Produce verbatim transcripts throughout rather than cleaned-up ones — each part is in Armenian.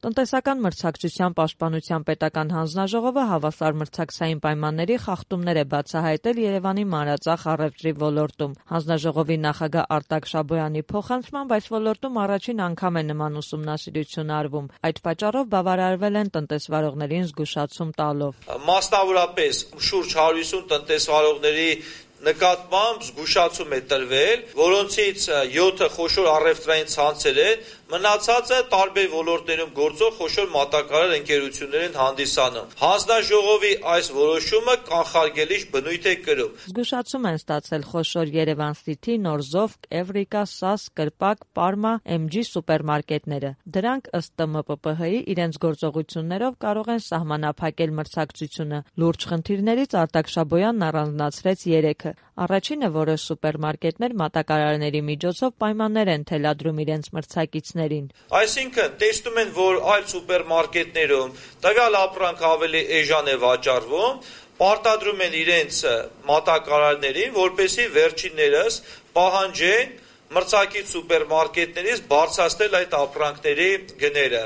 Տնտեսական մրցակցության պաշտպանության պետական հանձնաժողովը հավասար մրցակցային պայմանների խախտումներ է բացահայտել Երևանի մանրածախ առևտրի ոլորտում։ Հանձնաժողովի նախագահ Արտակ Շաբոյանի փոխանցմամբ այս ոլորտում առաջին անգամ է նման ուսումնասիրություն արվում։ Այդ պատճառով բավարարվել են տնտեսվարողներին զգուշացում տալով։ Մասնավորապես շուրջ հարյուր հիսուն տնտեսվարողների նկատմամբ զգուշացում է տրվել, որոնցից յոթը խոշոր առևտրային ցանցեր են, մնացածը տարբեր ոլորտներում գործող խոշոր մատակարար ընկերություններ են հանդիսանում։ Հանձնաժողովի այս որոշումը կանխարգելիչ բնույթ է կրում։ Զգուշացում են ստացել խոշոր Երևան City, Նորզովկ, Էվրիկա, Սաս, Կրպակ, Պարմա, Էմ ջի սուպերմարկետները։ Դրանք ըստ Տ M P P H-ի իրենց գործողություններով կարող են սահմանափակել մրցակցությունը։ Լուրջ խնդիրներից Արտակ Շաբոյանն առանձնացրեց երեքը։ Առաջինը, որոշ սուպերմարկետներ մատակարարների միջոցով պայմաններ են թելադրում իրենց մրցակիցներին։ Այսինքն, տեսնում են, որ այլ սուպերմարկետներում տվյալ ապրանք ավելի էժան է վաճառվում, պարտադրում են իրենց մատակարարներին, որպեսզի վերջիններս պահանջեն մրցակից սուպերմարկետներից բարձրացնել այդ ապրանքների գները։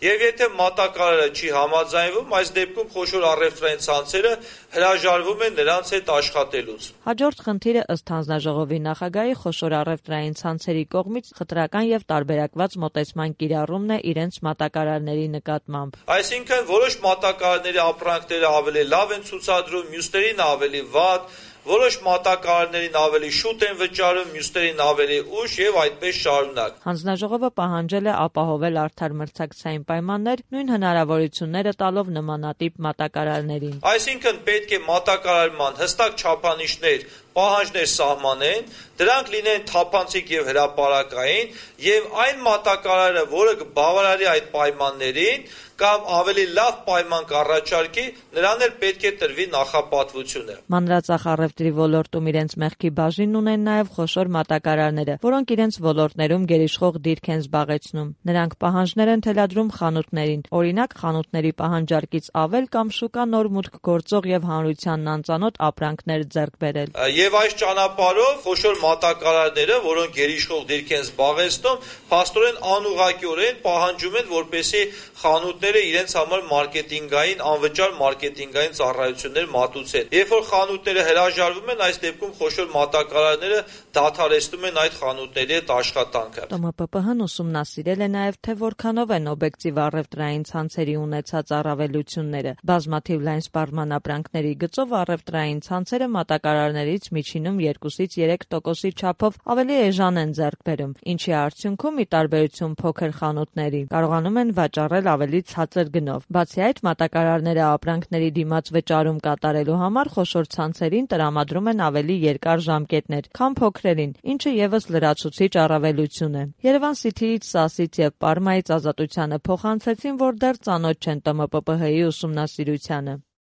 Եվ եթե մատակարարը չի համաձայնվում, այս դեպքում խոշոր առևտրային ցանցերը հրաժարվում են նրանց հետ աշխատելուց։ Հաջորդ խնդիրը ըստ հանձնաժողովի նախագահի խոշոր առևտրային ցանցերի կողմից խտրական եւ տարբերակված մոտեցման կիրառումն է իրենց մատակարարների նկատմամբ։ Այսինքն, որոշ մատակարարների ապրանքները ավելի լավ են ցուցադրում, մյուսներին ավելի վատ, որոշ մատակարարներին ավելի շուտ են վճարում, մյուսներին ավելի ուշ եւ այդպես շարունակ։ Հանձնաժողովը պահանջել է ապահովել արդար մրցակցային պայմաններ, նույն հնարավորությունները տալով նմանատիպ մատակարարներին։ Այսինքն պետք է մատակարարման հստակ չափանիշներ, պահանջներ սահմանեն, դրանք լինեն թափանցիկ եւ հրապարակային, եւ այն մատակարարը, որը կբավարարի այդ պայմաններին կամ ավելի լավ պայման կառաջարկի, նրան էլ պետք է տրվի նախապատվությունը։ Մանրածախ առևտրի ոլորտում իրենց մեղքի բաժին ունեն նաեւ խոշոր մատակարարները, որոնք իրենց ոլորտներում գերիշխող դիրք են զբաղեցնում։ Նրանք պահանջներ են թելադրում խանութներին, օրինակ խանութների պահանջարկից ավել կամ շուկա նոր մուտք գործող եւ հանրությանն անծանոթ ապրանքներ ձեռք բերել։ Եվ այս ճանապարհով խոշոր մատակարարները, որոնք գերիշխող դիրք են զբաղեցնում, փաստորեն անուղղակիորեն պահանջում են, որպեսզի խանութները իրենց համար մարքեթինգային, անվճար մարքեթինգային ծառայություններ մատուցեն։ Երբ որ խանութները հրաժարվում են, այս դեպքում խոշոր մատակարարները դադարեցնում են այդ խանութների հետ աշխատանքը։ Տ M P P H-ն ուսումնասիրել է նաև, թե որքանով են օբյեկտիվ առևտրային ցանցերի ունեցած առավելությունները։ Բազմաթիվ լայն սպառման ապրանքների գծով առևտրային ցանցերը մատակարարներից միջինում երկուսից երեք տոկոսի չափով ավելի էժան են ձեռք բերում, ինչի արդյունքում, ի տարբերություն փոքր խանութների, կարողանում են վաճառել ավելի ցածր գնով։ Բացի այդ, մատակարարները ապրանքների դիմաց վճարում կատարելու համար խոշոր ցանցերին տրամադրում են ավելի երկար ժամկետներ, քան փոքրերին, ինչը եւս լրացուցիչ առավելություն է։ Երևան City-ից, Սասից եւ Պարմայից Ազատությանը փոխանցեցին, որ դեռ ծանոթ չեն Տ M P P H-ի ուսումնասիրությանը։